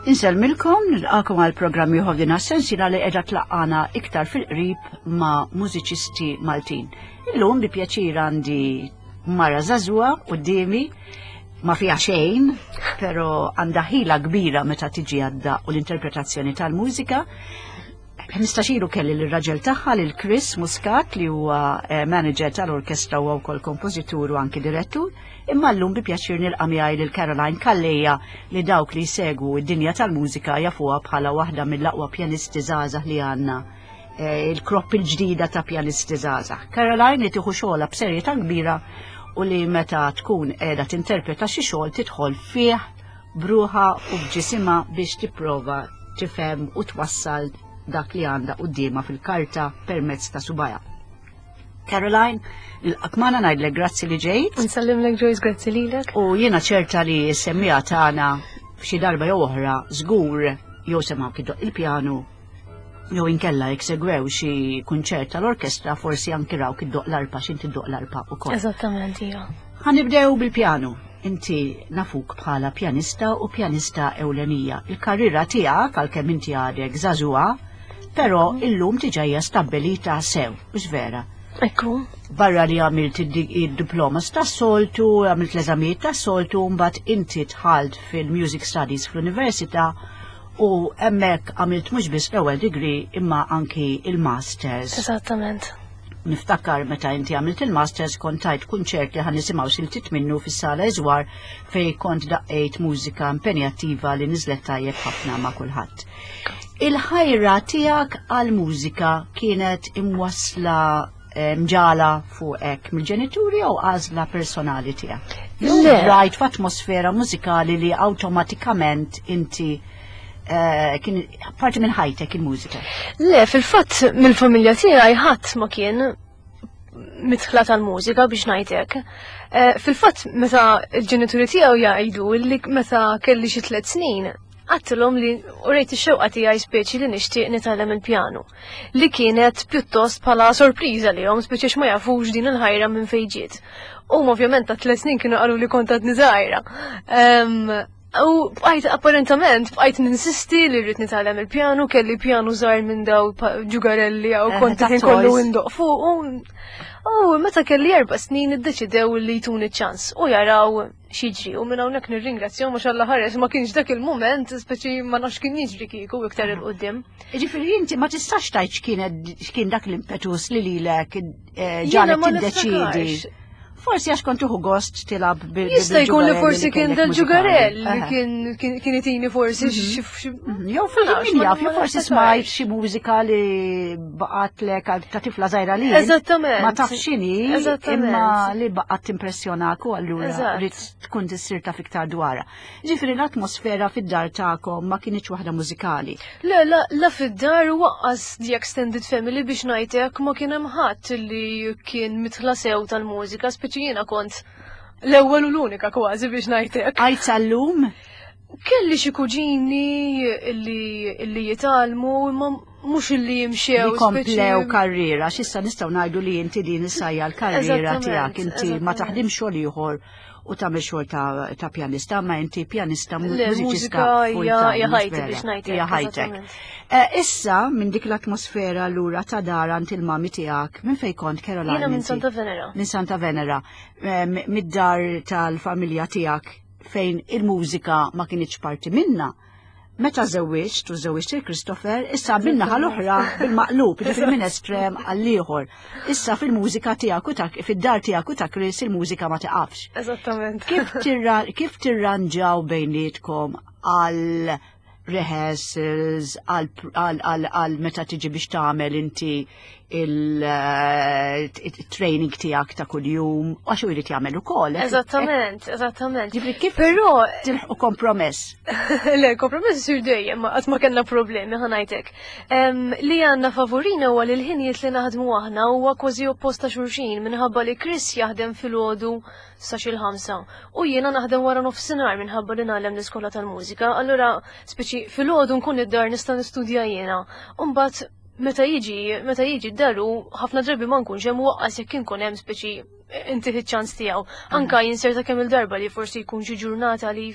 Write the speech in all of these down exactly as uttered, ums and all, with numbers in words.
Insellmilkom, nilqagħkom għal programm ieħor din is-sensiela li qiegħda tlaqqagħna iktar fil-qrib ma' mużiċisti Maltin. Illum bi pjaċir għandi mara żagħżugħa quddiemi, ma fiha xejn, però għandha ħila kbira meta tiġi għadda u l-interpretazzjoni tal-mużika. Ħmistax ilu kelli l-raġel tagħha, lil Chris Muscat, li huwa eh, manager tal-orkestra u wkoll kompożitur u anki direttur, imma llum bi pjaċir nilqa' miegħi lil Caroline Calleja, li dawk li jsegwu id-dinja tal-mużika jafuha bħala waħda mill-aqwa pjanisti żgħażagħ li għandna, eh, il-crop il-ġdida ta' pjanisti żgħażagħ. Caroline li tieħu xogħolha b'serjetà kbira u li meta tkun qiegħda tinterpreta xi xogħol tidħol fih b'ruħha u b'ġisimha biex tipprova tifhem u twassal dak li għandha quddiemha fil-karta permezz ta' subgħajha. Caroline, nilqgħek magħna, ngħidlek grazzi li ġejt. Nsellimlek, Joyce, grazzi lilek. U jiena ċerta li s-semmiegħa tagħna f'xi darba jew oħra żgur jew semgħu iddoqq il-pjanu jew inkella jekk segwew xi kunċert tal-orkestra forsi anki rawk iddoqq l-arpa, x'inti ddoqq l-arpa ukoll. Eżattament, ija. Ħa nibdew bil-pjanu. Inti nafuk bħala pjanista u pjanista ewlenija. Il-karriera tiegħek, għalkemm inti għadek żagħżugħa, però illum diġà hija stabbilita sew, mhux vera? Ekku. Barra li għamilt id-diploma tas-soltu, għamilt l-eżamijiet tas-soltu, mbagħad inti dħalt fil-Music Studies fl-Università u hemmhekk għamilt mhux biss l-ewwel degree imma anki il-Masters. Eżattament. Niftakar meta inti għamilt il-Masters kont tajt kunċert li ħa nisimgħu siltiet minnu fis-sala Iżwar, fej kont daqqejt mużika impenjattiva li niżlet tajjeb ħafna ma' kulħadd. Il-ħajra tiegħek għal-mużika kienet imwasla, eh, mġagħla fuqek mill-ġenituri jew għażla personali tiegħek? Le. Rajt f'atmosfera mużikali li awtomatikament inti eh, kien parti minn ħajtek il-mużika? Le, fil-fatt mill-familja tiegħi ħadd ma kien midħla tal-mużika, biex ngħidlek. Eh, Fil-fatt meta l-ġenituri tiegħu jgħidu li meta kelli xi tliet snin, għedtilhom li urejt ix-xewqa tiegħi speċi li nixtieq nitgħallem il-pjanu. Li kienet pjuttost bħala sorpriża lilhom, speċi ma jafux din il-ħajra minn fejn ġiet. U ovvjament ta' tliet snin kienu qalu li kont għadni żgħira. U bqajt apparentament bqajt ninsisti li rrid nitgħallem il-pjanu, kelli pjanu żgħar minn daw ġugarelli jew Eh, kont ta' ħin kollu toys. indoq fuq. U meta kelli erba' snin iddeċidew li jtuni ċans u jaraw x'jiġri, u minn hawnhekk nirringrazzjahom għax Alla ħares ma kienx dak il-mument, speċi ma nafx kien jiġri kieku iktar 'il quddiem. Ġifieri inti ma tistax tgħid x'kienet x'kien dak l-impetus li lilek eh, Jiena ġagħlek ma tiddeċidi. niftakarx. Forsi għax kont tieħu gost tilgħab bil Jista' jkun li bil-ġugarelli forsi kien kellek dal-ġugarell li mużikali. kien kien kien itini forsi xi xi- Mhm. Jew forsi nafx, min ma- jaf, jew ma forsi niftakarx. smajt xi mużika li baqgħetlek għal ta' tifla żgħira li Eżattament. ma taf x'inhi, Eżattament. imma li baqgħet timpressjonak u allura Eżatt. rrid tkun tissir taf iktar dwarha. Ġifieri l-atmosfera fid-dar tagħkom ma kinitx waħda mużikali. Le, la, la fid-dar u lanqas the extended family, biex ngħidlek, ma kien hemm ħadd li kien midħla sew tal-mużika, speċi jiena kont l-ewwel u l-unika kważi, biex ngħidlek. Għajt sal-lum? Kelli xi kuġini li li jitgħallmu, imma mhux illi jimxew. Li komplew speċi- karriera, x'issa nistgħu ngħidu li inti din issa hija l-karriera Eżattament, tiegħek, inti ma eżattament. taħdim xogħol ieħor u tagħmel xogħol ta' ta' pjanista, ma inti pjanista Le, mużiċista mużika full hija time, hija mhux ħajti, vera? biex ngħidlek. Hija ħajtek. Eżattament. Eh, Issa, minn dik l-atmosfera lura ta' dar għand il-mami tiegħek, minn fejn kont, Caroline? Jiena minn inti? Santa Venera. Minn Santa Venera, eh, m- mid-dar tal-familja tiegħek fejn il-mużika ma kinitx parti minna. Meta żewwiġt u żewwiġt il-Christopher, issa min-naħa l-oħra bil-maqlub, ġifieri minn estrem għall-ieħor. Issa fil-mużika tiegħek u ta' fid-dar tiegħek u ta' Chris il-mużika ma tiqafx. Eżattament. Kif tirra, kif tirranġaw bejnietkom għal rehearsals, għal, għal, għal, għal meta tiġi biex tagħmel inti il-training tiegħek ta' kuljum, għax u jrid jagħmel ukoll. Eżattament, eżattament. Ġifieri kif Però tilħqu kompromess? Le, kompromess isir dejjem, ma qatt ma kellna problemi, ħa ngħidlek. Em, Li għandna favorina huwa li l-ħinijiet li naħdmu aħna huwa kważi opposta xulxin, minħabba li Chris jaħdem filgħodu sa xi l-ħamsa u jiena naħdem wara nofsinhar minħabba li ngħallem l-iskola tal-mużika. Allura speċi filgħodu nkun id-dar, nista' nistudja jiena. U mbagħad meta jiġi meta jiġi d-daru ħafna drabi ma nkunx hemm, waqqas jekk inkun hemm speċi inti ċans tiegħu. Anka jinserta kemm il-darba li forsi jkun xi ġurnata li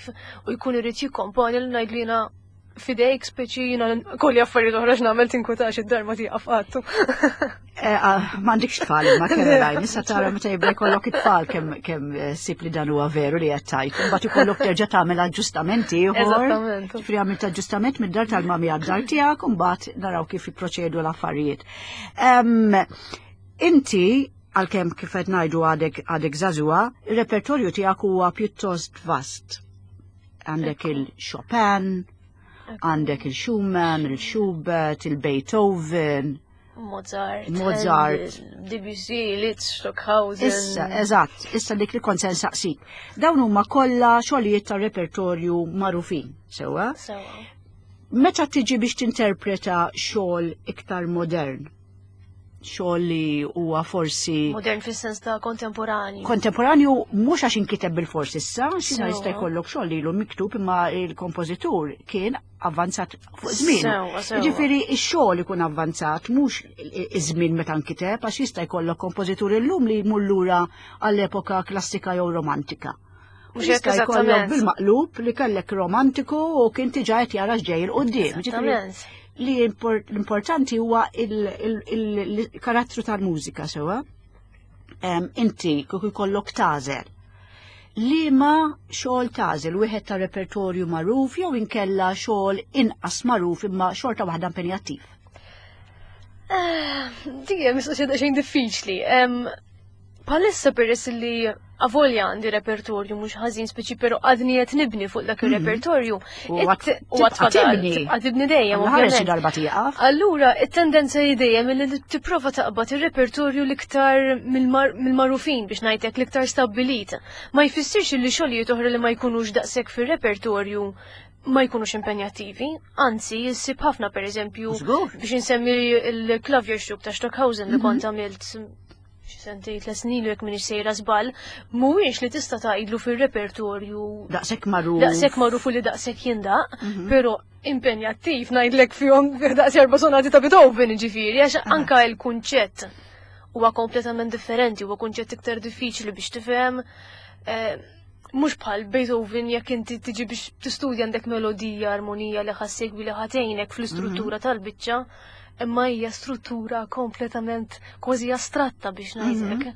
u jkun irid jikkomponi li ngħid li jiena fidejk speċi jiena kolli affarijiet oħra x'nagħmel, tinkwetax, id-dar ma tieqaf qatt. Eh, ah, M'għandekx tfal imma, Caroline, issa tara meta jibda jkollok it-tfal kemm kemm eh, sib li dan huwa veru li qed tgħid. Imbagħad ikollok terġa' tagħmel aġġustamenti ieħor. Eżattament. Ġifieri għamilt aġġustament mid-dar tal-mami għad-dar tiegħek u mbagħad naraw kif jipproċedu l-affarijiet. Em, Inti għalkemm kif qed ngħidu għadek għadek żagħżugħa, ir-repertorju tiegħek huwa pjuttost vast. Għandek il-Chopin, għandek il-Schumann, il-Schubert, il-Beethoven. Mozart, Mozart. Handel, Debussy, Liszt, Stockhausen. Issa, eżatt, issa dik li kont se nsaqsik. Dawn huma kollha xogħlijiet ta' repertorju magħrufin, sewwa? Sewwa. Meta tiġi biex tinterpreta xogħol iktar modern, xogħol li huwa forsi Modern fis-sens ta' kontemporanju. Kontemporanju, mhux għax inkiteb bil-fors issa, xina Sewwa. jista' jkollok xogħol li ilu miktub imma il-kompożitur kien avvanzat fuq żmien. Sewwa, sewwa. Ġifieri x-xogħol ikun avvanzat mhux iż-żmien meta nkiteb, għax jista' jkollok kompożitur illum li jmur lura għall-epoka klassika jew romantika. U Mhux hekk. jista' jkollok eżattament. bil-maqlub li kellek romantiku u kien diġà qed jara x'ġej 'il quddiem. Ġifieri Eżattament. li impor- l-importanti huwa il-karattru tal-mużika, sewwa. Em, Inti kieku jkollok tagħżel. Liema xogħol tagħżel, wieħed ta' repertorju magħruf jew inkella xogħol inqas magħruf imma xorta waħda impenjattiv? Dik hija mistoqsija daqsxejn diffiċli. Em, Bħalissa peress li avolja għandi repertorju mhux ħażin speċi, però għadni qed nibni fuq dak ir-repertorju. U It- għad U għad tibqa' fadal, tibni. tibqa' tibni dejjem, Alla ħares xi ovvjament. darba tieqaf. Allura, it-tendenza hi dejjem li tipprova taqbad ir-repertorju l-iktar mill-mar- mill-magħrufin biex ngħidlek, l-iktar stabbilit. Ma jfissirx li xogħlijiet oħra li ma jkunux daqshekk fir-repertorju ma jkunux impenjattivi, anzi jissib ħafna, per eżempju, Żgur. biex insemmi il-Klavierstück ta' Stockhausen li kont għamilt xi sentejn, tliet snin jekk m'iniex sejra żball, mhuwiex li tista' tgħidlu fir-repertorju Daqshekk magħruf. Daqshekk magħruf u li daqshekk jindaq, però impenjattiv ngħidlek fihom daqs erba' sonati ta' Beethoven ġifieri, għax anka il-kunċett huwa kompletament differenti, huwa kunċett iktar diffiċli biex tifhem. eh, Mhux bħal Beethoven, jekk inti tiġi biex tistudja għandek melodija, armonija li ħa ssegwi li ħa tgħinek fl-istruttura tal-biċċa, imma hija struttura kompletament kważi astratta biex ngħidlek.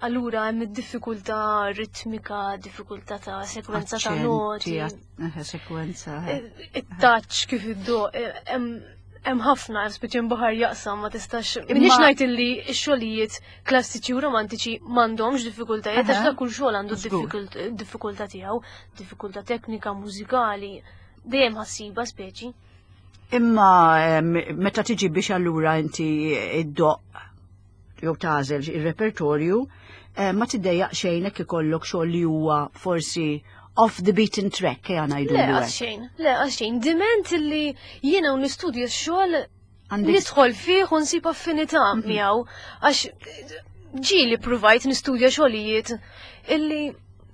Allura hemm id-diffikultà ritmika, diffikultà ta' sekwenza ta' noti, Aċċenti, eh, sekwenza. eh. it-touch kif iddoqq, hemm hemm ħafna, speċi baħar jaqsam, ma tistax. Imma- M'iniex ngħid illi x-xogħlijiet klassiċi u romantiċi m'għandhomx diffikultajiet, għax Aha. dak kull xogħol għandu Żgur. diffikult- diffikultà tiegħu, diffikultà teknika, mużikali, dejjem ħa ssibha speċi. Imma em, meta tiġi biex allura inti iddoqq jew tagħżel ir-repertorju, eh, ma tiddejjaq xejn hekk ikollok xogħol li huwa forsi off the beaten track, ejja ngħidu Le, hekk? għax xejn, le, għax xejn, diment illi jiena u nistudja x-xogħol Għandek nidħol fih u nsib affinità miegħu, għax ġieli provajt nistudja xogħlijiet illi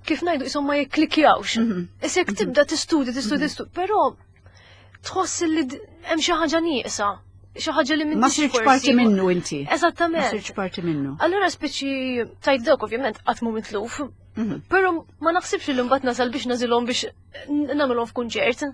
kif ngħidu isom ma jikklikjawx. Mhm. Issa jekk tibda tistudja, tistudja, tistudja, però tħoss li d- hemm xi ħaġa nieqsa, xi ħaġa li Ma m'intix sirtx forsi- parti minnu inti. Ma Eżattament. sirtx parti minnu. Allura speċi tajt dawk ovvjament qatt mu mitluf, Mhm. però ma naħsibx li mbagħad nasal biex nagħżilhom biex n- nagħmilhom f'kunċert.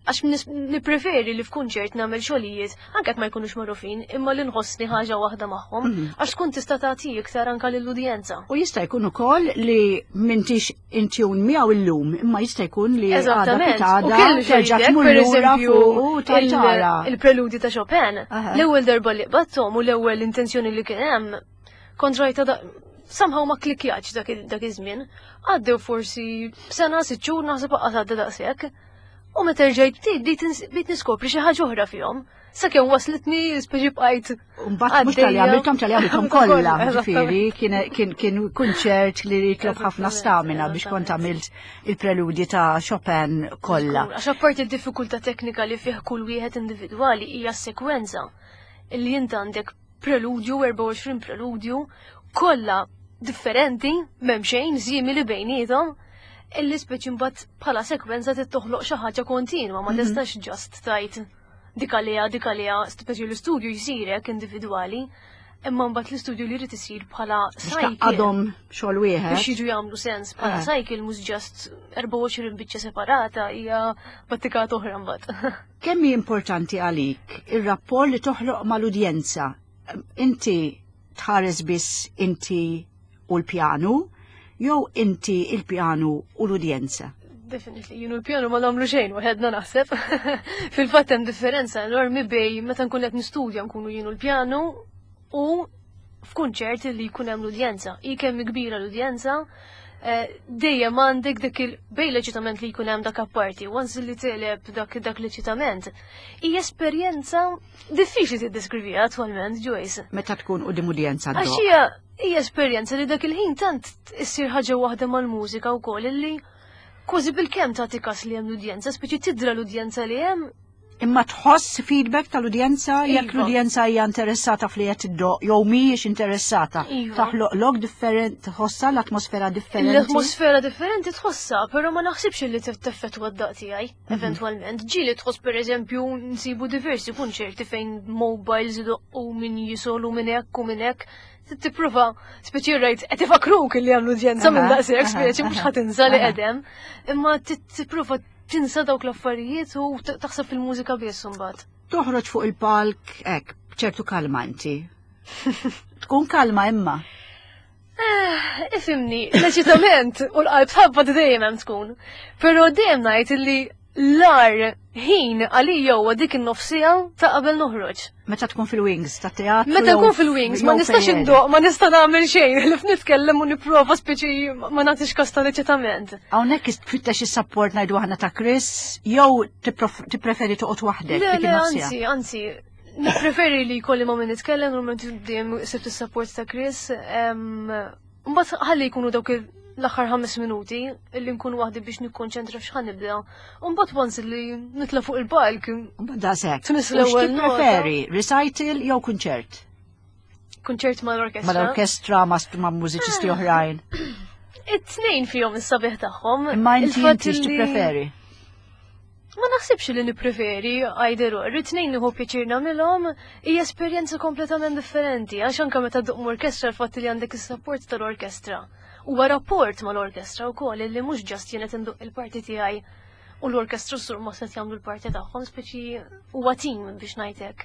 Għax nis- nippreferi li f'kunċert nagħmel xogħlijiet anke jekk ma jkunux magħrufin, imma li nħossni ħaġa waħda magħhom, Mhm. għax tkun tista' tagħti iktar anke lill-udjenza. U jista' jkun ukoll li m'intix in tune miegħu illum, imma jista' jkun li għada Eżattament. U pitgħada kellu terġa' xogħlijiet, tmur per lura eżempju, fuq u tajtara. il- il-preludi ta' Chopin. Aha. L-ewwel darba li qbadthom u l-ewwel intenzjoni li kien hemm kont rajta da somehow ma klikjatx dak il- dak iż-żmien. Għaddew forsi sena, sitt xhur, naħseb qatt għadda daqshekk. U meta rġajt bdejt bdejt ins- bdejt niskopri xi ħaġa oħra fihom. Sakemm waslitni speċi bqajt Mbagħad mhux talli għaddejja. għamilthom, talli għamilthom kollha, Eżattament. ġifieri kien kien kien kunċert li jitlob ħafna Eżattament, stamina biex kont eżattament. għamilt il-preludi ta' Chopin kollha. Għax apparti d-diffikultà teknika li fih kull wieħed individwali hija s-sekwenza. Illi int għandek preludju, erbgħa u għoxrin preludju, kollha differenti, m'hemm xejn simili bejniethom, illi speċi mbagħad bħala sekwenza trid toħloq xi ħaġa kontinwa, ma tistax just tajt dik għaliha, dik għaliha, speċi l-istudju jsirek individwali. Imma mbagħad l-istudju li jrid isir bħala Biex cycle tgħaqqadhom xogħol wieħed. Biex jiġu jagħmlu sens bħala Eh. cycle, mhux just erbgħa u għoxrin biċċa separata, hija battikat oħra mbagħad. Kemm hi importanti għalik ir-rapport li toħloq mal-udjenza? Inti tħares biss inti u l-pjanu, jew inti, il-pjanu u l-udjenza? Definitely, jien u l-pjanu ma nagħmlu xejn waħedna, naħseb. Fil-fatt hemm differenza enormi bejn meta nkun qed nistudja, nkunu jien u l-pjanu, u f'kunċert li jkun hemm l-udjenza. Hi kemm kbira l-udjenza, eh, dejjem għandek dak il bejn l-eċitament li jkun hemm dak apparti, once li teleb dak dak l-eċitament. Hija esperjenza diffiċli tiddeskriviha attwalment, Joyce. Meta tkun quddiem udjenza Għax ddoqq. hija hija esperjenza li dak il-ħin tant issir ħaġa waħda mal-mużika wkoll illi kważi bil-kemm tagħti kas li hemm l-udjenza, speċi tidra l-udjenza li hemm. Imma tħoss feedback tal-udjenza jekk Iva. l-udjenza hija interessata f'li qed iddoqq jew mhijiex interessata? Iva. Taħloqlok different, tħossha l-atmosfera differenti. L-atmosfera differenti tħossha, però ma naħsibx li teffettwa d-daqq tiegħi Mhm. eventwalment. Ġieli tħoss, pereżempju, nsibu diversi kunċerti fejn mobiles idoqqu, min jisolu minn hekk u minn hekk. Tipprova, speċi rajt, qed ifakruk li hemm l-udjenza minn Aha, daqshekk, aha, speċi mhux aha, ħa tinsa li aha. qedem. Imma tipprova tinsa dawk l-affarijiet u t- taħseb fil-mużika biss imbagħad. Toħroġ fuq il-palk hekk b'ċertu kalma inti. Tkun kalma imma. Eh, ifhimni, l-eċitament u l-qalb tħabbat dejjem hemm tkun. Però dejjem ngħid illi l-agħar ħin għalija huwa dik in-nofsija ta' qabel noħroġ. Meta tkun fil-wings ta' teatru. Meta jew nkun fil-wings, ma jew nistax fejn. indoq, ma nista' nagħmel xejn, li nitkellem u nipprova speċi ma nagħtix kas tal-eċitament. Hawnhekk tfittex is-support, ngħidu aħna, ta' Chris, jew tipprof- tippreferi toqgħod waħdek Le, dik le, in-nofsija? anzi, anzi, nippreferi li jkolli ma' min nitkellem, normalment dejjem sibt is-support ta' Chris. em, Mbagħad ħalli jkunu dawk il- l-aħħar ħames minuti illi nkun waħdi biex nikkonċentra f'x'ħa nibda. U mbagħad once li nitla' fuq il-palk, Mbagħad daqshekk. Tmiss U l-ewwel nota. x'tippreferi, recital jew kunċert? Kunċert mal-orkestra. Mal-orkestra, ma' ma' mużiċisti oħrajn. It-tnejn fihom is-sabiħ tagħhom. Imma inti Il-fatt inti li- x'tippreferi? Ma naħsibx li nippreferi either or. It-tnejn nieħu pjaċir nagħmilhom, hija esperjenza kompletament differenti, għax anke meta ddoqq orkestra, l-fatt li għandek is-support tal-orkestra. Huwa rapport mal-orkestra wkoll illi mhux just jien qed indoqq il-parti tiegħi u l-orkestra sur ma se jagħmlu l-parti tagħhom, speċi huwa team biex ngħidlek.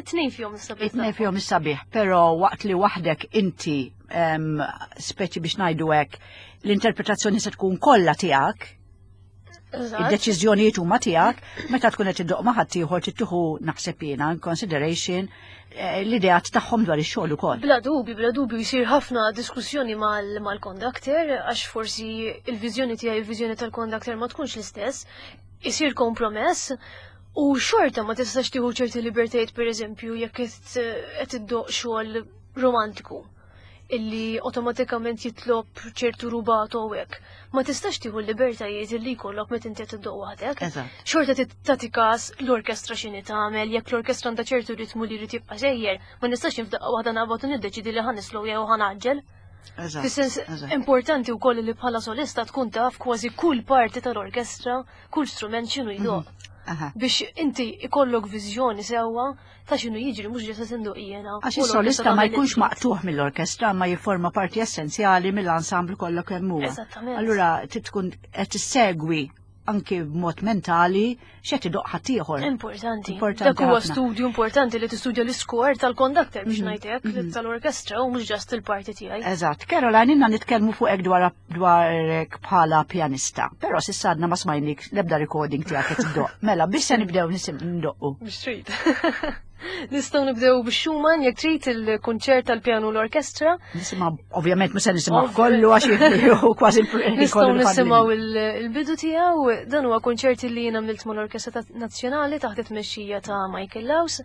It-tnejn fihom is-sabiħ. It-tnejn fihom is-sabiħ, però waqt li waħdek inti em, speċi biex ngħidu hekk, l-interpretazzjoni se tkun kollha tiegħek, Eżatt. id-deċiżjonijiet huma tiegħek, meta tkun qed iddoqq ma' ħaddieħor trid tieħu, naħseb jiena, in consideration eh, l-ideat tagħhom dwar ix-xogħol ukoll. Bla dubju, bla dubju jisir ħafna diskussjoni mal- mal-conductor, għax forsi il-viżjoni tiegħi, il-viżjoni tal-conductor ma tkunx l-istess, isir kompromess u xorta ma tistax tieħu ċerti libertajiet, pereżempju jekk qed qed iddoqq xogħol romantiku illi automatikament jitlob ċertu rubato u hekk. Ma tistax tieħu l-libertajiet illi jkollok meta inti qed iddoqq waħdek. Eżatt. Xorta tagħti kas l-orkestra x'inhi tagħmel, jekk l-orkestra għandha ċertu ritmu li jrid jibqa' sejjer, ma nistax f'daqqa waħda naqbad u niddeċidi li ħa nislow jew ħa ngħaġġel. Eżatt. Fis-sens eżatt. importanti wkoll li bħala solista tkun taf kważi kull parti tal-orkestra, kull strument x'inhu jdoqq. Aha. Biex inti ikollok viżjoni sewwa ta' x'inhu jiġri, mhux ġesa tindoq jiena. Għax u l-orkestra is-solista ma tagħmel jkunx li trid. maqtuħ mill-orkestra, ma jifforma parti essenzjali mill-ensemble kollu kemm huwa. Eżattament. Allura trid tkun qed tissegwi anki b'mod mentali x'qed idoqq ħaddieħor. Importanti. Importanti Dak huwa ħafna. studju importanti li tistudja l-iskor tal-conductor biex Mhm, ngħidlek, mhm. tal-orkestra u mhux just il-parti tiegħi. Eżatt. Caroline, inna nitkellmu fuqek dwar dwarek bħala pjanista, però s'issa għadna ma smajnik l-ebda recording tiegħek qed iddoqq. Mela, biex se nibdew nisim ndoqqu? Biex trid. Nistgħu nibdew bix-Schumann jekk trid, il-kunċert tal-pjanu l-orkestra. Nisimgħu, ovvjament mhux se nisimgħu Ovvja. kollu għax jieħu kważi il- Nistgħu kollu nisimgħu il- il-bidu tiegħu. Dan huwa kunċert li jien għamilt mal-Orkestra ta- Nazzjonali taħt it-tmexxija ta' Michael Laus.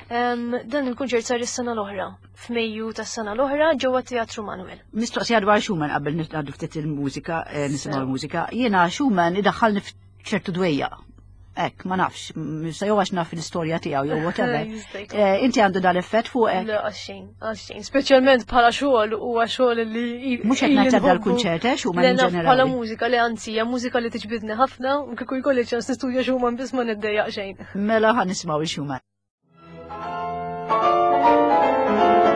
Em, Dan il-kunċert sar is-sena l-oħra, f'Mejju tas-sena l-oħra, ġewwa Teatru Manuel. Mistoqsija dwar Schumann qabel nitgħaddu ftit il-mużika, eh, nisimgħu Sew. l-mużika. Jiena Schumann idaħħalni f'ċertu dwejja. Ek, ma nafx, m- sa jew għax naf l-istorja tiegħu jew whatever. Jista' jkun. Eh, Inti għandu dal-effett fuqek? Le, għaxxejn, għaxxejn. Speċjalment bħala xogħol, huwa xogħol li Mhux qed ngħid ebda l-kunċert, eh, Schumann Le, in naf bħala ġenerali. mużika, le, anzi, hija mużika li tiġbidni ħafna, u kieku jkolli ċans nistudja Schumann biss ma niddejjaq xejn. Mela ħa nisimgħu il-Schumann. Thank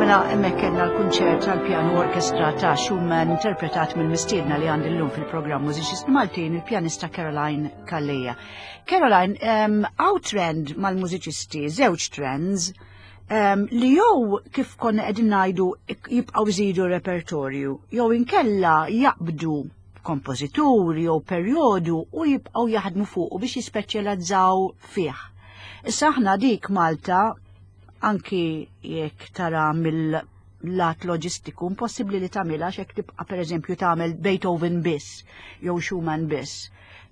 Mela hemmhekk kellna l-kunċert tal-pjanu orkestra ta' Schumann interpretat mill-mistiedna li għandi llum fil-programm Mużiċisti Maltin, il-pjanista Caroline Calleja. Caroline, hawn trend mal-mużiċisti, żewġ trends, um, li jew kif konna qegħdin ngħidu jibqgħu jżidu repertorju, jew inkella jaqbdu kompożitur jew perjodu u jibqgħu jaħdmu fuq biex jispeċjalizzaw fih. Issa aħna dik Malta, anki jekk tara mill-lat loġistiku, impossibbli li tagħmilha x'hekk tibqa' pereżempju tagħmel Beethoven biss jew Schumann biss.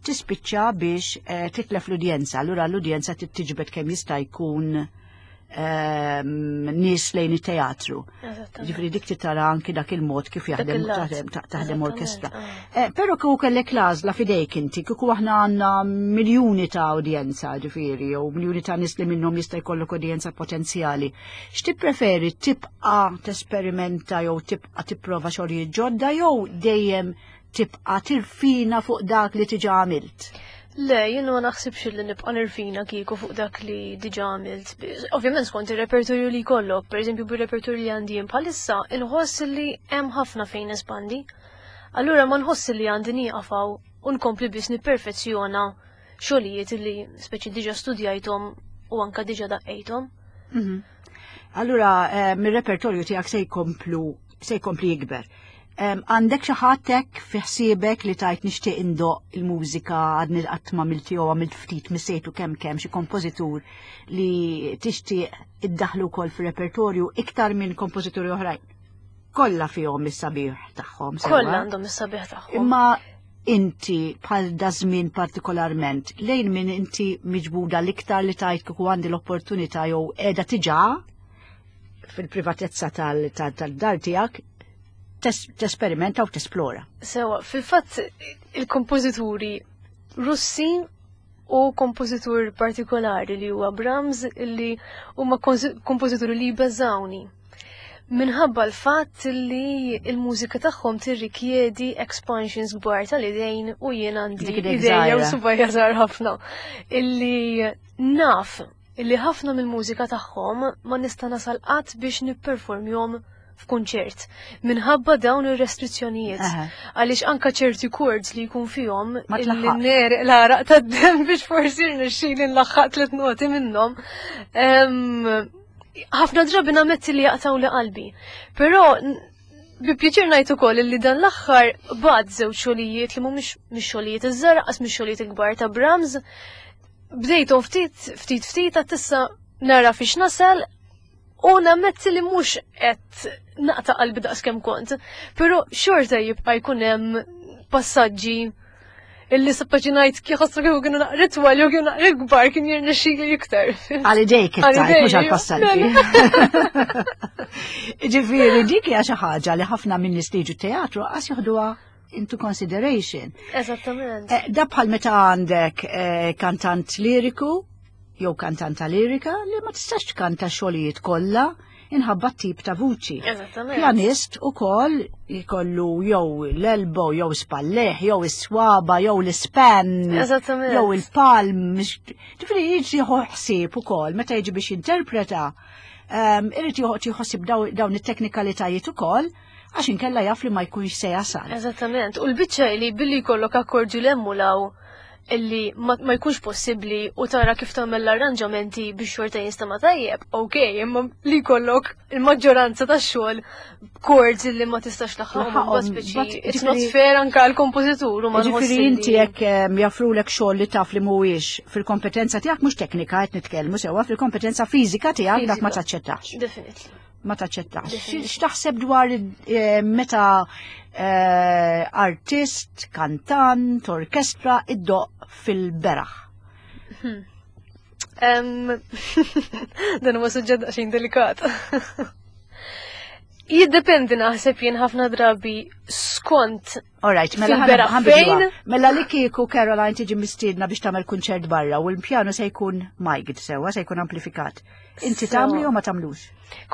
Tispiċċa biex eh, titlef l-udjenza, allura l-udjenza tiġbed kemm jista' jkun ehm, nies lejn it-teatru. Ġifieri dik tara anki dak il-mod kif jaħdem taħdem orkestra. Ah. Eh, però kieku kellek l-għażla f'idejk inti, kieku aħna għandna miljuni ta' udjenza, ġifieri, jew miljuni ta' nies li minnhom jista' jkollok udjenza potenzjali. X'tippreferi, tibqa' tesperimenta jew tibqa' tipprova xogħlijiet ġodda jew dejjem tibqa' tirfina fuq dak li diġà għamilt? Le, jien ma naħsibx li nibqa' nirfina kieku fuq dak li diġà għamilt. Ovvjament skont ir-repertorju li jkollok, pereżempju bir-repertorju li għandi jien bħalissa, inħoss li hemm ħafna fejn espandi. Allura ma nħoss li għandi nieqaf hawn u nkompli biss nipperfezzjona xogħlijiet li speċi diġà studjajthom u anka diġà daqqejthom. Mhm. Allura, eh, mir-repertorju tiegħek se jkomplu se jkompli jikber. Għandek xi ħadd hekk fi ħsiebek li tajt nixtieq indoq il-mużika, għadni qatt ma għamilt jew għamilt ftit missejtu kemm kemm xi kompożitur li tixtieq iddaħlu wkoll fir-repertorju iktar minn kompożituri oħrajn? Kollha fihom is-sabiħ tagħhom. Kollha għandhom is-sabiħ tagħhom. Imma inti bħal daż-żmien partikolarment, lejn min inti miġbuda l-iktar li tajt kieku għandi l-opportunità jew qiegħda diġà fil-privatezza tal-dar tiegħek tesperimenta u tesplora? Sewa, fil-fatt il-kompożituri Russi u kompożitur partikolari li huwa Brahms, li huma kompożituri li jbeżawni. Minħabba l-fatt li il-mużika tagħhom tirrikjedi expansions kbar tal-idejn u jien għandi idejja u subgħajja żgħar ħafna. Illi naf illi ħafna mill-mużika tagħhom ma nista' nasal qatt biex nipperformjhom f'kunċert minħabba dawn ir-restrizzjonijiet. Għaliex anka ċerti chords li jkun fihom illi negħreq l-għaraq tad-demm biex forsi rnexxieli nlaħħaq tliet noti minnhom. Ħafna drabi nammetti li jaqtgħu li qalbi. Però bi pjaċir ngħid ukoll li dan l-aħħar bad żewġ xogħlijiet li mhumiex mix-xogħlijiet iż-żgħar qas mix-xogħlijiet il-kbar ta' Brahms. Bdejthom ftit ftit ftit għat issa nara fiex nasal u nammetti li mhux qed naqta' qalbi daqs kemm kont. Però xorta jibqa' jkun hemm passaġġi illi sappaċi ngħid kif ħassu kieku kienu naqra twal jew kienu naqra kbar kien jirnexxili iktar. Għal idejk it-tajt, mhux għal passaġġi. Ġifieri dik hija xi ħaġa li ħafna minn nies li jiġu teatru qas joħduha into consideration. Eżattament. Eh, da bħal meta għandek eh, kantant liriku jew kantanta lirika li ma tistax tkanta xogħlijiet kollha inħabba tip ta' vuċi. Eżattament. Pjanist ukoll jkollu jew l-elbow, jew spalleħ, jew is-swaba, jew l-span, Eżattament. jew il-palm. Ġifieri jiġi jieħu ħsieb ukoll meta jiġi biex jinterpreta. Um, irid jieħu ħsieb dawn it-teknikalitajiet ukoll għax inkella jaf li ma jkunx se jasal. Eżattament. U l-biċċa li billi jkollok akkordju l-emmulaw illi ma, ma jkunx possibbli u tara kif tagħmel l-arranġamenti biex xorta jinstema' tajjeb, ok, imma li jkollok il-maġġoranza tax-xogħol chords illi ma tistax tlaħħaqhom, Tlaħħaqhom, speċi but it's not ġifieri- fair anka għall-kompożitur u ma Ġifieri nħoss inti li- jekk em, jaffrulek xogħol li taf li mhuwiex fil-kompetenza tiegħek, mhux teknika qed nitkellmu sewwa, fil-kompetenza fiżika tiegħek, dak ma Fiżika. taċċettax. Definitely. Ma taċċettax. Definitely. X'taħseb dwar eh, meta eh, artist, kantant, orkestra iddoq fil-beraħ? Em, Dan huwa suġġett daqsxejn delikat. Jiddependi naħseb jien ħafna drabi skont Alright, mela fil-beraħ ħa nbidluha. fejn? Mela li kieku Caroline tiġi mistiedna biex tagħmel kunċert barra u l-pjanu se jkun mic'd sewwa, se jkun amplifikat. Inti Sewa. tagħmlu jew ma tagħmlux?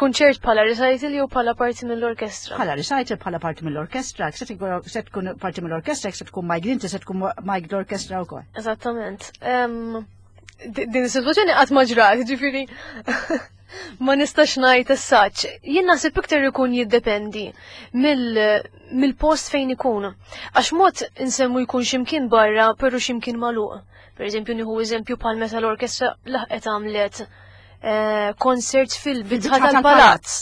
Kunċert bħala recital jew bħala parti mill-orkestra? Bħala recital, bħala parti mill-orkestra, se tkun se tkun parti mill-orkestra, se tkun mic'd inti, se tkun mic'd l-orkestra wkoll. Eżattament. Em, di- Din is-sitwazzjoni qatt ma ġrat, ġifieri. Ma nistax ngħid as-saċ. Jien naħseb iktar ikun jiddependi mill-post fejn ikun. Għax mod insemmu jkun x'imkien barra, però x'imkien magħluq. Per eżempju, nieħu eżempju bħal meta l-orkestra laħqet għamlet koncert fil-bitħa tal-palazz.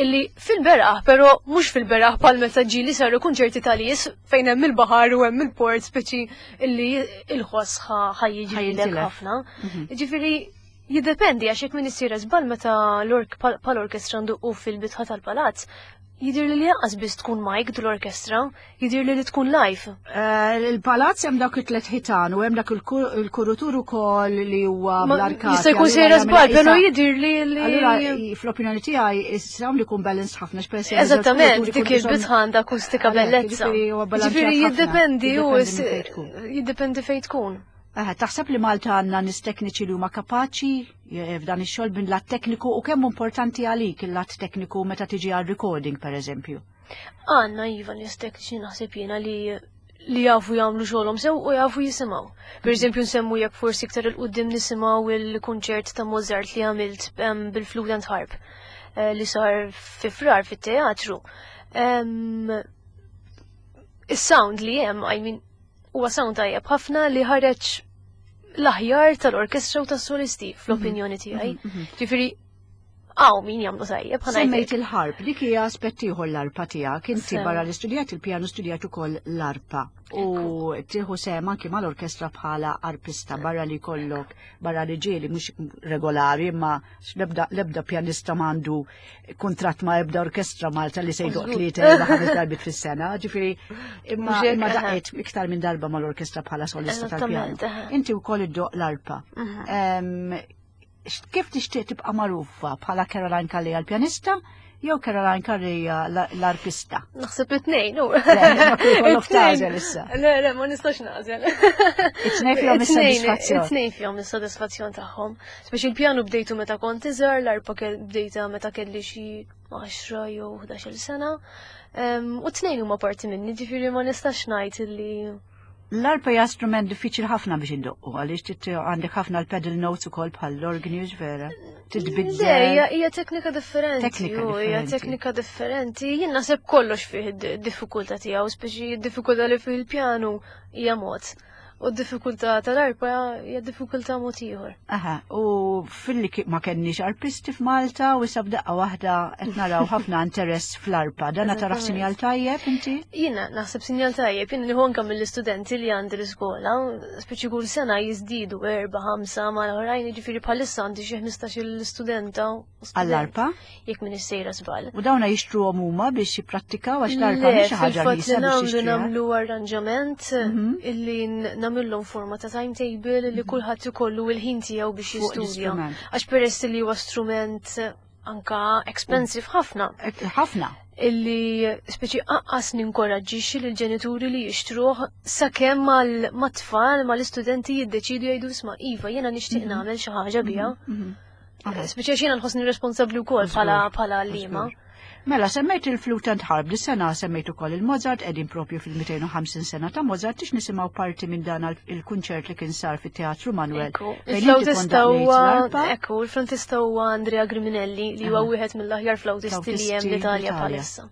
Illi fil-beraħ, però mhux fil-beraħ bħal meta ġieli saru kunċerti tal-nies fejn hemm il-baħar u hemm il-port, speċi illi il-ħoss ħa jiġrilek ħafna. Ġifieri jiddependi, għax jekk min isir żball meta pal-orkestra nduqqu fil-bitħa tal-palazz, jidir li lanqas biss tkun mic l-orkestra, jidir li tkun live. Il-palazz hemm dak it-tlet ħitan u hemm dak il-kurutur ukoll li huwa bl-arkati. Jista' jkun sejra żball, però jidir li li. Allura, fl-opinjoni tiegħi is-sound li jkun balance ħafna x'peress. Eżattament, dik il-bitħa għandha akustika bellezza. Ġifieri jiddependi u jiddependi fejn tkun. Taħseb li Malta għandna nies tekniċi li huma kapaċi f'dan ix-xogħol bin lat tekniku, u kemm importanti għalik il-lat tekniku meta tiġi għal recording, per eżempju? Għandna iva nies tekniċi, naħseb jiena, li li jafu jagħmlu xogħolhom sew u jafu jisimgħu. Per eżempju, nsemmu jekk forsi iktar 'il quddiem nisimgħu il-kunċert ta' Mozart li għamilt bil-flute and harp li sar fi Frar fit-teatru. Is-sound li hemm, I mean, huwa sound tajjeb ħafna li ħareġ l-aħjar tal-orkestra u tas-solisti, fl-opinjoni tiegħi. Ġifieri hawn min jagħmlu tajjeb. Semmejt il-harp, dik hija aspett ieħor, l-arpa tiegħek. Inti barra li studjat il-pjanu studjat ukoll l-arpa. U tieħu sehem anki mal-orkestra bħala arpista, barra li kollok, barra li ġieli mhux regolari, imma l-ebda pjanista m'għandu kuntratt ma' ebda orkestra Malta li se jdoqq tlieta, erba', ħames darbiet fis-sena. Ġifieri imma imma daqqet iktar minn darba mal-orkestra bħala solista tal-pjanu. Inti wkoll iddoqq l-arpa. Kif tixtieq tibqa' magħrufa, bħala Caroline Calleja l-pjanista jew Caroline Calleja l-arpista? Naħseb it-tnejn, u. Kollok tagħżel issa. Le, le, ma nistax nagħżel. It-tnejn fihom is-sodisfazzjon. It-tnejn fihom is-sodisfazzjon tagħhom. Speċi il-pjanu bdejtu meta kont iżgħar, l-arpa bdejta meta kelli xi għaxra jew ħdax-il sena. U t-tnejn huma parti minni, ġifieri ma nistax ngħid illi L-arpa hija strument diffiċli ħafna biex indoqqu, għaliex għandek ħafna l-pedal notes ukoll bħal l-organi, vera. Titbiddel. Hija teknika differenti. Teknika Hija teknika differenti. Jien naħseb kollox fih id-diffikultà tiegħu, speċi d-diffikultà li fih il-pjanu hija mod. U d-diffikultà tal-arpa hija diffikultà mod ieħor. Aha, u filli ma kenniex arpisti f'Malta u issa b'daqqa waħda qed naraw ħafna interess fl-arpa. Dana tarah sinjal tajjeb inti? Jiena naħseb sinjal tajjeb, jiena nieħu anke mill-istudenti li għandi l-iskola, speċi kull sena jiżdiedu erba', ħamsa mal-oħrajn, jiġifieri bħalissa għandi xi ħmistax-il studenta. Għall-arpa? Jekk m'iniex sejra żball. U dawna jixtruhom huma biex jipprattikaw, għax l-arpa mhix xi ħaġa li nagħmlu nagħmlu arranġament illi nagħmilhom forma ta' timetable li kulħadd ikollu il-ħin tiegħu biex jistudja. Għax peress li huwa strument anka expensive ħafna. Ħafna. Illi speċi aqqas ninkoraġġixxi lill-ġenituri li jixtruh sakemm mat-tfal, mal-istudenti jiddeċidu jgħidu, "Isma' iva, jiena nixtieq nagħmel xi ħaġa biha." Speċi għax jiena nħossni responsabbli wkoll bħala bħala għalliema. Mela, semmejt il-flute and harp, dis-sena semmejt ukoll il-Mozart, qegħdin propju fil-mitejn u ħamsin sena ta' Mozart, tix nisimgħu parti minn dan il-kunċert li kien sar fit-Teatru Manuel. Il-flautista huwa ekku, il-flautista huwa Andrea Griminelli, li huwa wieħed mill-aħjar flautisti li hemm l-Italja bħalissa.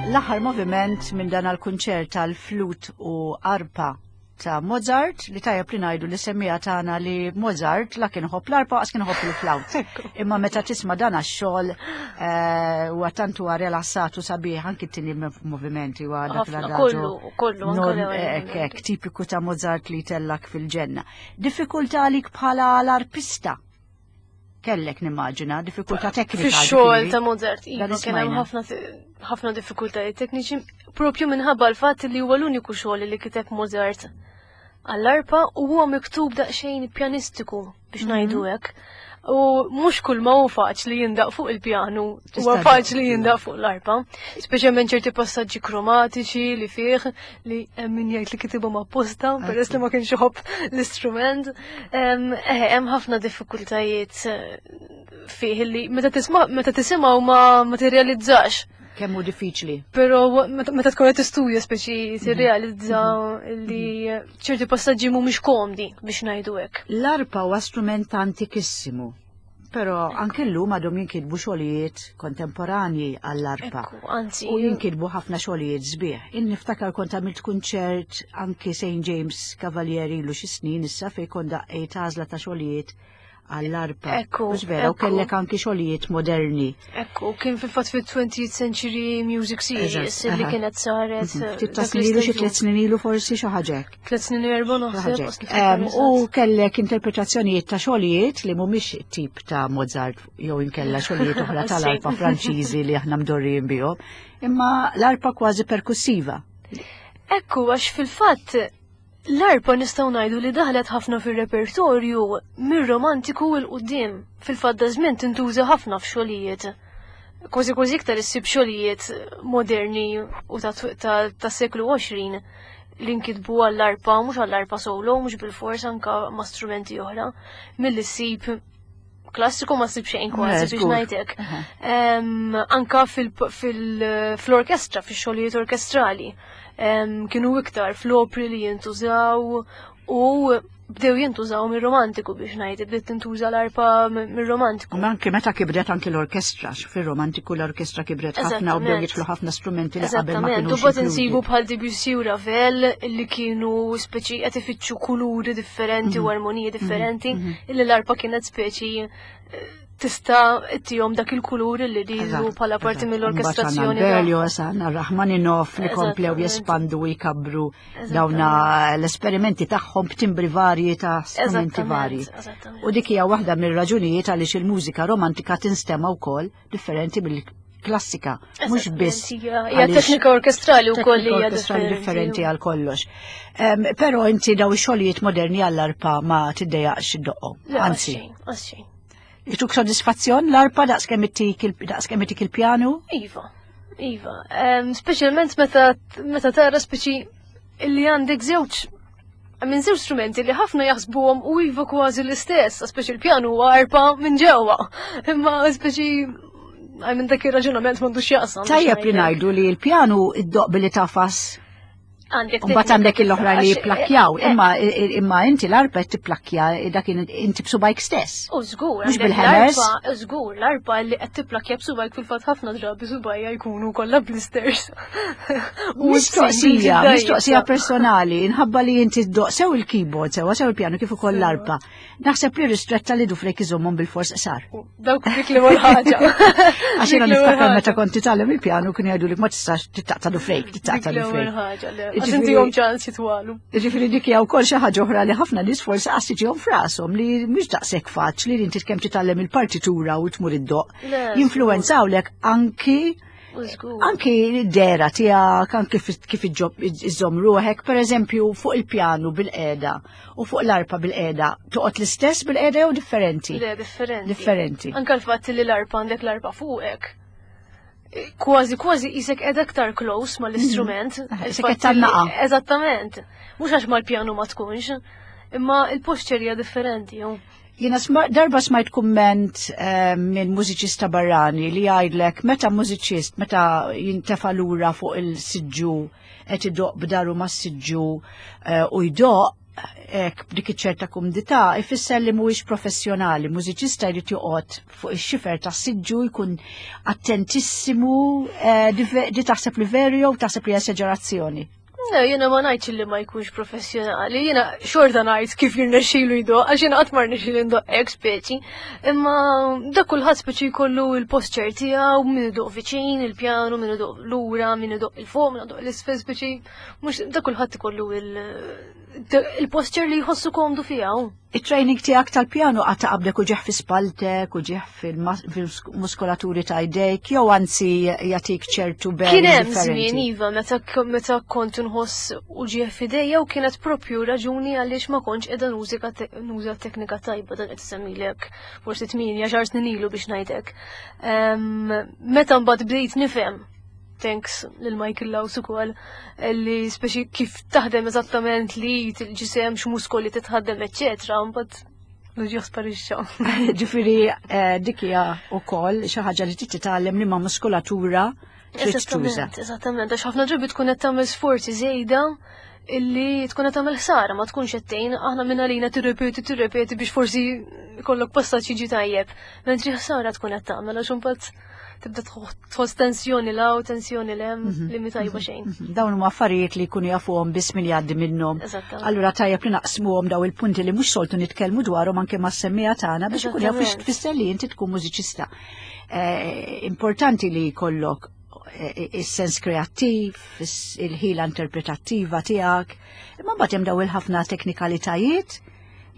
L-aħħar moviment minn dan għal-kunċert tal-flute u arpa ta' Mozart, li tajjeb li ngħidu li semmija tagħna li Mozart la kien iħobb l-arpa għax kien iħobb il-flawt. Imma meta tisma' dan għax-xogħol eh, huwa tant huwa rilassat u sabiħ, anki t-tieni movimenti huwa dak Ħafna, l-adagio. kollu, kollu, anke Non, l-ewwel ek, moviment. ek, tipiku ta' Mozart li tellak fil-ġenna. Diffikultà għalik bħala l-arpista? Kellek nimmaġina, diffikultà teknika. Fix-xogħol ġifieri. ta' Mozart, iva, Dan kien hemm ismajna. ħafna ħafna diffikultajiet tekniċi propju minħabba l-fatt li huwa l-uniku xogħol li kiteb Mozart għall-arpa u huwa miktub daqsxejn pjanistiku biex Mhm. ngħidu hekk. U mhux kull ma hu faċli jindaq fuq il-pjanu, huwa Tista' faċli iva. jindaq fuq l-arpa. Speċjalment ċerti passaġġi kromatiċi li fih li hemm min jgħid li kitibhom apposta peress li ma kienx iħobb l-istrument. Em, eh, Hemm ħafna diffikultajiet eh, fih li meta tisma' meta tisimgħu ma ma tirrealizzax. Kemm hu diffiċli. Però meta meta tkun qed tistudja speċi tirrealizza li ċerti passaġġi mhumiex komdi biex ngħidu hekk. L-arpa huwa strument antikissimu, però anke llum għadhom jinkitbu xogħlijiet kontemporanji għall-arpa. Ekku, anzi. U jinkitbu ħafna xogħlijiet sbieħ. Jien niftakar kont għamilt kunċert anki Saint James Cavalieri ilu xi snin issa, fejn kont daqqejt għażla ta' xogħlijiet għall-arpa. Ekku, Mhux vera, u ekku. kellek anki xogħlijiet moderni. Ekku, kien fil-fatt fil-twentieth Century Music Series Eżatt, li aha. kienet saret. Mhm. eh, Ftit ta' dak snin ilu, xi l-istaġun. tliet snin ilu forsi, xi ħaġa hekk. Tliet snin u erba' naħseb. Xi ħaġa qas hekk. niftakar Em, eżatt. U kellek interpretazzjonijiet ta' xogħlijiet li mhumiex tip ta' Mozart jew inkella xogħlijiet oħra tal-arpa Franċiżi li aħna mdorrijin bihom, imma l-arpa kważi perkussiva. Ekku, għax fil-fatt l-arpa nistgħu ngħidu li daħlet ħafna fir-repertorju mir-romantiku 'l quddiem. Fil-fatt da żmien tintuża ħafna f'xogħlijiet. Kważi kważi iktar issib xogħlijiet moderni u ta' ta' ta' seklu għoxrin li nkitbu għall-arpa, mhux għall-arpa solo, mhux bil-fors, anka ma' strumenti oħra, milli ssib klassiku ma ssib xejn kważi Eh, biex żgur. ngħidlek. Aha. Em, anka fil- fil- fl-orkestra, fix-xogħlijiet orkestrali. Em, kienu iktar fl-opri li jintużaw u bdew jintużaw mir-romantiku biex ngħid, bdiet tintuża l-arpa mir-romantiku. U anke meta kibret anke l-orkestra, fir-romantiku l-orkestra kibret ħafna u bdew Eżattament. jidħlu ħafna strumenti li qabel ma Eżattament, kienux u bat inkludi. insibu bħal Debussy u Ravel li kienu speċi qed ifittxu kuluri differenti Mhm. u armoniji differenti, illi l-arpa kienet speċi eh, tista' ittihom dak il-kulur li rridu Eżatt, bħala parti eżatt. mill-orkestrazzjoni. Mbagħad għandna Berlioz, għandna Rachmaninoff li komplew Eżattament. jespandu u jkabru Eżattament. dawna l-esperimenti tagħhom b'timbri varji ta' strumenti Eżattament, varji. eżattament. U dik hija waħda mir-raġunijiet għaliex il-mużika romantika tinstema wkoll differenti mill-klassika. Mhux Eżattament, biss hija hija għaliex teknika orkestrali wkoll teknika hija orkestrali differenti għal kollox. Em, Però inti daw ix-xogħlijiet moderni għall-arpa ma tiddejjaqx iddoqqhom. Le, Anzi, għaxxejn, għaxxejn. jituk sodisfazzjon l-arpa daqs kemm ittik il- daqs kemm ittik il-pjanu? Iva, iva. Em, Speċjalment meta meta tara speċi illi għandek żewġ minn żewġ strumenti li ħafna jaħsbuhom u iva kważi l-istess, speċi l-pjanu huwa arpa minn ġewwa. Imma speċi għaj minn dak ir-raġunament m'għandux jaqsam. Tajjeb li ngħidu li l-pjanu iddoq billi tafas. Għandek Mbagħad għandek l-oħra li għax- jipplakjaw, eh, imma imma inti l-arpa qed tipplakja dak inti b'subajk stess. U żgur, Mhux għandek bil-hammers. l-arpa, żgur, l-arpa li qed tipplakja b'subajk, fil-fatt ħafna drabi subajja jkunu kollha blisters. U Mistoqsija, bil-ġiddajja. mistoqsija personali, inħabba li inti ddoq sew il-keyboard, sew sew il-pjanu kif ukoll l-arpa. Naħseb li ristretta li dufrek iżommhom bil-fors qsar. Dawk dik li ħaġa. Għax jiena niftakar meta kont titgħallem il-pjanu kienu jgħidu li ma tistax titaqta' dufrejk, titaqta' Dik l-ewwel dufrejk. ħaġa, le. Għax Jiġifieri- intihom ċans jitwalu. Ġifieri dik hija wkoll xi ħaġa oħra li ħafna nies forsi qas tiġihom f'rashom li mhux daqshekk faċli li inti kemm titgħallem il-partitura u tmur iddoq. Le, Jinfluwenzawlek anki U żgur. anki d-dera tiegħek, anki kif- kif iġġob- iżżomm ruħek, per eżempju fuq il-pjanu bil-qeda u fuq l-arpa bil-qeda, toqgħod l-istess bil-qeda jew differenti? Le, differenti. Differenti. Anka l-fatt li l-arpa għandek l-arpa fuqek. Kważi, kważi qisek qed aktar close mal-istrument. Mhm. Il-fatt Qisek qed tgħannaqa. li- Eżattament. Mhux għax mal-pjanu ma tkunx, imma il-posture hija differenti. ju. Jiena sma- darba smajt kumment eh, minn mużiċista barrani li jgħidlek meta mużiċist meta jintefa lura fuq il-siġġu qed idoq b'daru mas-siġġu eh, u jdoq hekk b'dik iċ-ċerta kumdità ifisser li mhuwiex professjonali. Mużiċista jrid joqgħod fuq ix-xifer tas-siġġu, jkun attentissimu, eh, di ve- di taħseb li veru jew taħseb li esaġerazzjoni? Le, jiena ma ngħidx li ma jkunx professjonali, jiena xorta ngħid kif jirnexxilu jdoqq, għax jiena qatt ma rnexxieli ndoqq hekk speċi. Imma dak kulħadd speċi jkollu il-posture tiegħu, min idoqq viċin il-pjanu, min idoqq lura, min idoqq 'il fuq, min idoqq 'l isfel speċi, mhux dak kulħadd ikollu il-posture li jħossu komdu fiha. Il-training tiegħek tal-pjanu qatt qabdek uġigħ fi spalltek, uġigħ fil-muskolaturi ta' jdejk, jew anzi jagħtik ċertu ben Kien hemm differenti? żmien, iva, meta meta kont nħoss uġigħ f'idejja u kienet propju raġuni għaliex ma kontx qiegħda nużika te- nuża teknika tajba. Dan qed semmilek forsi tmienja xar snin ilu biex ngħidlek. Em, Meta mbagħad bdejt nifhem, thanks lil Michael Laus ukoll, li speċi kif taħdem eżattament li il-ġisem, x'muskoli titħaddem, eċċetera, mbagħad l-uġigħ sparixxa. Ġifieri eh, dik hija wkoll xi ħaġa li trid titgħallem li ma' muskolatura trid tuża. Eżattament, eżattament, għax ħafna drabi tkun qed tagħmel sforzi żejda illi tkun qed tagħmel ħsara, ma tkunx qed tgħin. Aħna minn għalina tirrepeti, tirrepeti biex forsi jkollok passaġġ jiġi tajjeb. Mentri ħsara tkun qed tagħmel, għax imbagħad tibda tħoss tensjoni 'l hawn, tensjoni 'l hemm li mhi tajba xejn. Mhm. Dawn huma affarijiet li jkunu jafuhom biss min jgħaddi minnhom. Eżattament. Allura tajjeb li naqsmuhom daw il-punti li mhux soltu nitkellmu dwarhom anke mas-semmiegħa tagħna biex ikun jafu Eżattament. tfisser li inti tkun mużiċista. Eh, Importanti li jkollok eh, is-sens kreattiv, is- il-ħila interpretattiva tiegħek, imma mbagħad hemm daw il-ħafna teknikalitajiet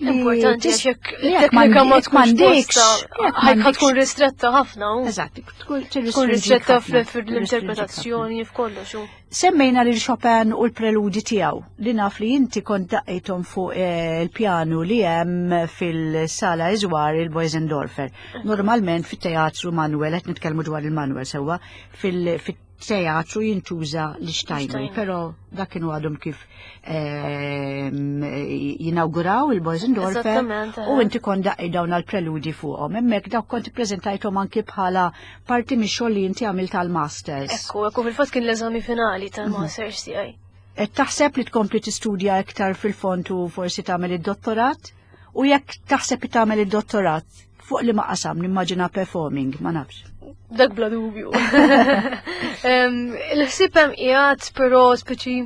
li Importanti tis- għax jekk li jekk it-teknika ma m'għandi- jekk tkunx m'għandekx- posta, jekk ħajka m'għandekx- tkun ristretta ħafna. u Eżatt, tkun Tkun ristretta fl-interpretazzjoni, f'kollox. u. Semmejna lil Chopin u l-preludi tiegħu li naf li inti kont daqqejthom fuq eh, il-pjanu li hemm fil-sala Iżwar il-Bösendorfer. Normalment fit-teatru Manuel, qed nitkellmu dwar il-Manuel sewwa, fil- fit-teatru jintuża l-Steinway, Steinway. però dak kienu għadhom kif ehm, jinawguraw il-Bösendorfer Eżattament, u eh. inti kont daqqej dawn għal-preludi fuqhom. Hemmhekk dawk kont ippreżentajthom anki bħala parti mix-xogħol li inti għamilt tal-masters. Ekku, ekku, fil-fatt kien l-eżami finali tal-masters tiegħi. Et taħseb li tkompli tistudja iktar fil-fond u forsi tagħmel id-dottorat? U jekk taħseb li tagħmel id-dottorat, fuq li ma qasam, nimmaġina performing, ma nafx. Dak bla dubju. Em, Il-ħsieb hemm qiegħed, però speċi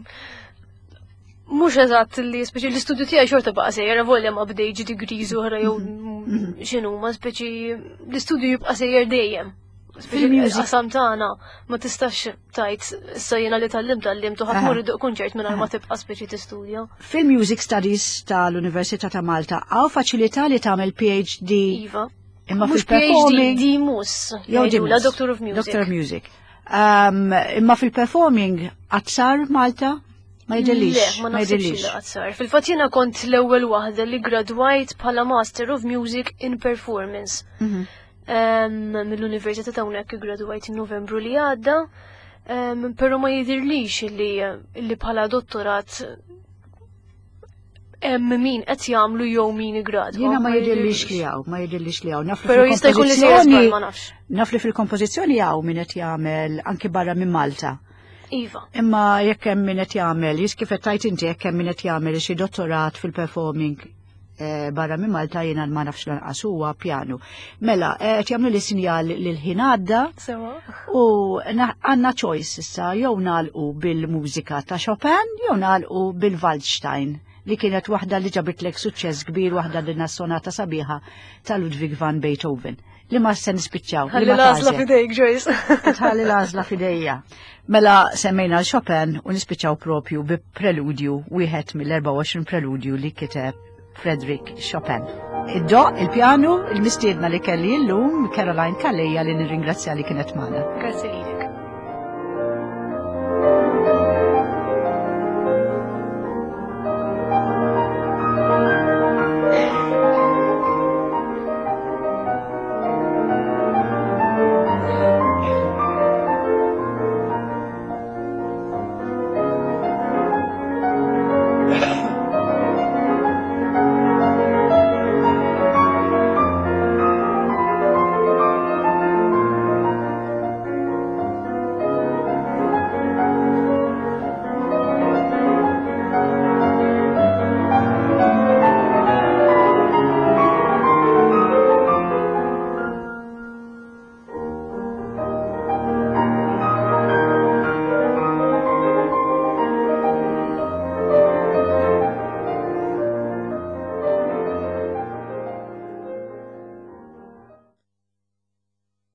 mhux eżatt li speċi l-istudju tiegħi xorta baqa' sejjer, volja ma bdejtx degrees oħra jew x'inhu, ma speċi l-istudju jibqa' sejjer dejjem. Speċi Fil-music. qasam tagħna ma tistax tajt issa jiena li tgħallimt tgħallimt u ħadd mur iddoqq kunċert mingħajr ma tibqa' speċi tistudja. Fil-Music Studies tal-Università ta' Malta hawn faċilità li tagħmel P H D Iva. Imma Mhux fil-performing P H D, D Mus. Jew jgħidulha D Mus. Doctor of Music. Doctor of Music. Um, imma fil-performing qatt sar Malta? Ma jidhirlix. Le, ma naħsibx jidhirlix. li qatt sar. Fil-fatt jiena kont l-ewwel waħda li gradwajt bħala Master of Music in Performance. Mhm. Em, Mill-Università ta' hawnhekk gradwajt in Novembru li għadda, em, però ma jidhirlix li li bħala dottorat hemm min qed jagħmlu jew min igradwa. Jiena ma jidhirlix li hawn, ma jidhirlix li hawn. Naf li Però jista' jkun li sejjer żball, fil-kompożizzjoni ma nafx. Naf li fil-kompożizzjoni hawn min qed jagħmel anki barra minn Malta. Iva. Imma jekk hemm min qed jagħmel, jis kif qed tajt inti, jekk hemm min qed jagħmel xi dottorat fil-performing eh, barra minn Malta, jiena ma nafx lanqas, huwa pjanu. Mela, eh, qed jagħmlu li sinjal li l-ħin għadda Sewa. u na- għandna choice issa: jew nagħlqu bil-mużika ta' Chopin jew nagħlqu bil-Waldstein li kienet waħda li ġabitlek suċċess kbir, waħda din sonata sabiħa ta' Ludwig van Beethoven. Li ma se nispiċċaw. Li Ħalli ma l-għażla tagħżel. fidejk, Joyce. Tħalli l-għażla fidejja. Mela semmejna l-Chopin u nispiċċaw propju bi preludju, wieħed mill-erbgħa u għoxrin preludju li kiteb Frederick Chopin. Iddoqq il-pjanu il-mistiedna li kelli illum, Caroline Calleja, li nirringrazzja li kienet magħna. Grazzi lilek.